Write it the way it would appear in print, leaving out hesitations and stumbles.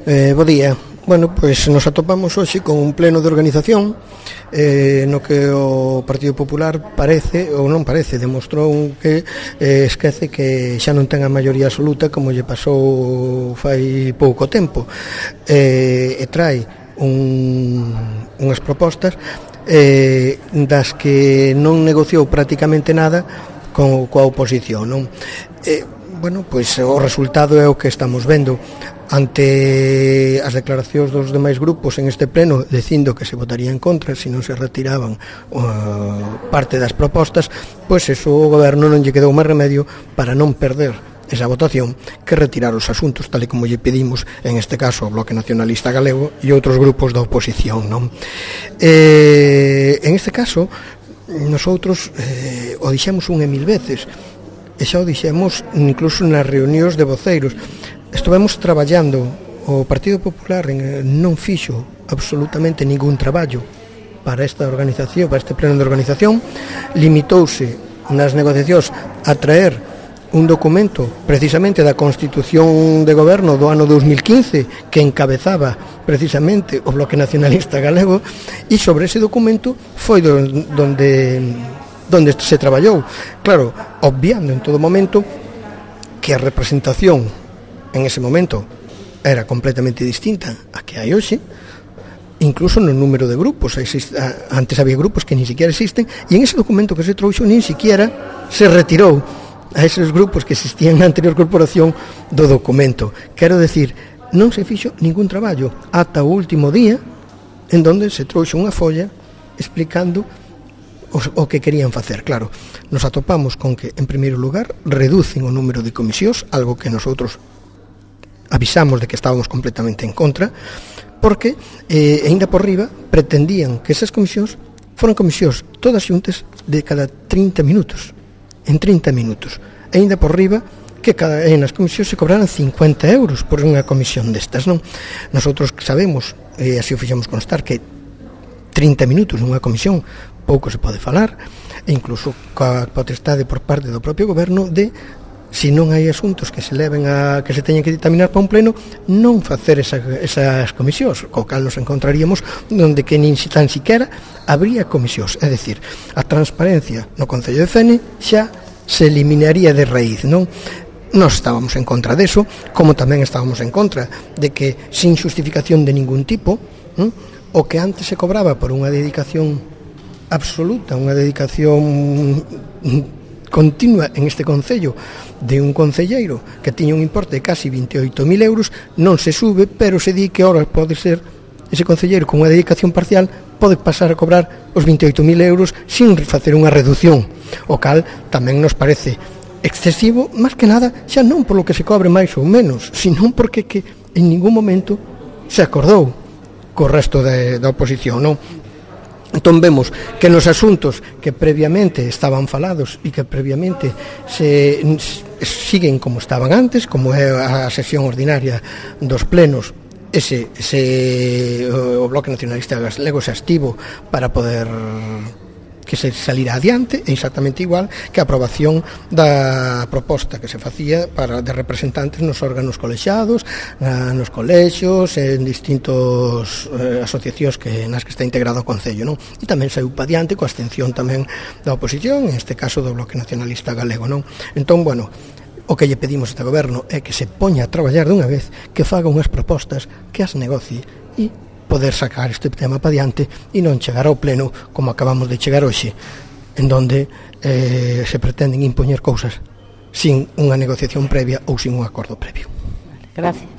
Bo día. Bueno, pois nos atopamos hoxe con un pleno de organización no que o Partido Popular parece, ou non parece, demostrou que esquece que xa non ten a maioría absoluta como lle pasou fai pouco tempo, e trae unhas propostas das que non negociou prácticamente nada coa oposición, non? Bueno, pois o resultado é o que estamos vendo. Ante as declaracións dos demais grupos en este pleno dicindo que se votaría en contra se non se retiraban parte das propostas, pois eso o goberno non lle quedou máis remedio para non perder esa votación que retirar os asuntos tal e como lle pedimos en este caso ao Bloque Nacionalista Galego e outros grupos da oposición, non? En este caso nosotros o dixemos unha e mil veces e xa o dixemos incluso nas reunións de voceiros. Estivemos traballando, o Partido Popular non fixo absolutamente ningún traballo para esta organización, para este pleno de organización, limitouse nas negociacións a traer un documento precisamente da Constitución de Goberno do ano 2015 que encabezaba precisamente o Bloque Nacionalista Galego, e sobre ese documento foi donde se traballou, claro, obviando en todo momento que a representación en ese momento era completamente distinta a que hai hoxe, incluso no número de grupos. Antes había grupos que ni siquiera existen, e en ese documento que se trouxo nin siquiera se retirou a esos grupos que existían na anterior corporación do documento. Quero decir, non se fixo ningún traballo ata o último día en donde se trouxo unha folla explicando o que querían facer. Claro, nos atopamos con que, en primeiro lugar, reducen o número de comisións, algo que nosotros avisamos de que estábamos completamente en contra, porque, ainda por riba, pretendían que esas comisións foran comisións todas xuntas de cada 30 minutos, en 30 minutos. Ainda por riba, que nas comisións se cobraran 50 euros por unha comisión destas, non? Nosotros sabemos, e así o fixemos constar, que 30 minutos nunha comisión pouco se pode falar, e incluso coa potestade por parte do propio goberno de, se non hai asuntos que se leven que se teñen que dictaminar para un pleno, non facer esas comisións, co cal nos encontraríamos onde que nin tan siquiera habría comisións. É dicir, a transparencia no Concello de Fene xa se eliminaría de raíz, non? Nós estábamos en contra deso, como tamén estábamos en contra de que, sin xustificación de ningún tipo, o que antes se cobraba por unha dedicación absoluta, unha dedicación continua en este concello de un concelleiro que tiña un importe de casi 28.000 euros, non se sube, pero se di que ahora pode ser ese concelleiro con unha dedicación parcial pode pasar a cobrar os 28.000 euros sin facer unha reducción, o cal tamén nos parece excesivo, máis que nada xa non polo que se cobre máis ou menos, sino porque que en ningún momento se acordou co resto da oposición, non? Entón vemos que nos asuntos que previamente estaban falados e que previamente siguen como estaban antes, como é a sesión ordinaria dos plenos, o Bloque Nacionalista Galego se estivo para poder que se salira adiante, é exactamente igual que a aprobación da proposta que se facía de representantes nos órganos colexiados, nos colexios, en distintos asociacións nas que está integrado o Concello, non? E tamén saiu pa adiante coa abstención tamén da oposición, en este caso do Bloque Nacionalista Galego, non? Entón, bueno, o que lle pedimos a este goberno é que se poña a traballar dunha vez, que faga unhas propostas, que as negocie e poder sacar este tema para diante e non chegar ao pleno como acabamos de chegar hoxe, en donde se pretenden impoñer cousas sin unha negociación previa ou sin un acordo previo. Gracias.